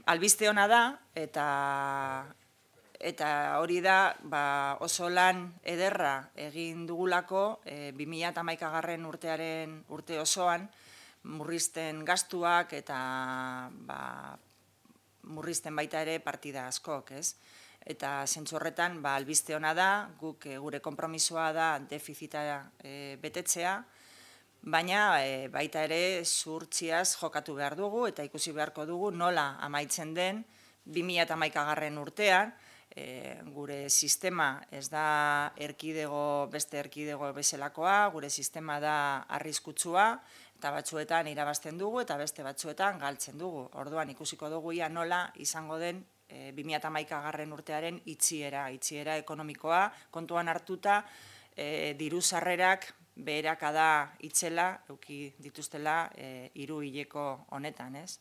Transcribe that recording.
albiste ona da, eta hori da oso lan ederra egin dugulako 2011 urte osoan murrizten gastuak eta murrizten baita ere partida askok, ez? Eta zentzu horretan albiste ona da, guk gure konpromisoa da defizita betetzea, baina baita ere zuhurtziaz jokatu behar dugu eta ikusi beharko dugu nola amaitzen den 2011 urtean, gure sistema ez da beste erkidego bezalakoa, gure sistema da arriskutsua, eta batzuetan irabazten dugu eta beste batzuetan galtzen dugu. Orduan ikusiko dugu ia nola izango den 2011 urtearen itxiera ekonomikoa, kontuan hartuta diru sarrerak beherakada itzela, eduki dituztela 3 hileko honetan, ez?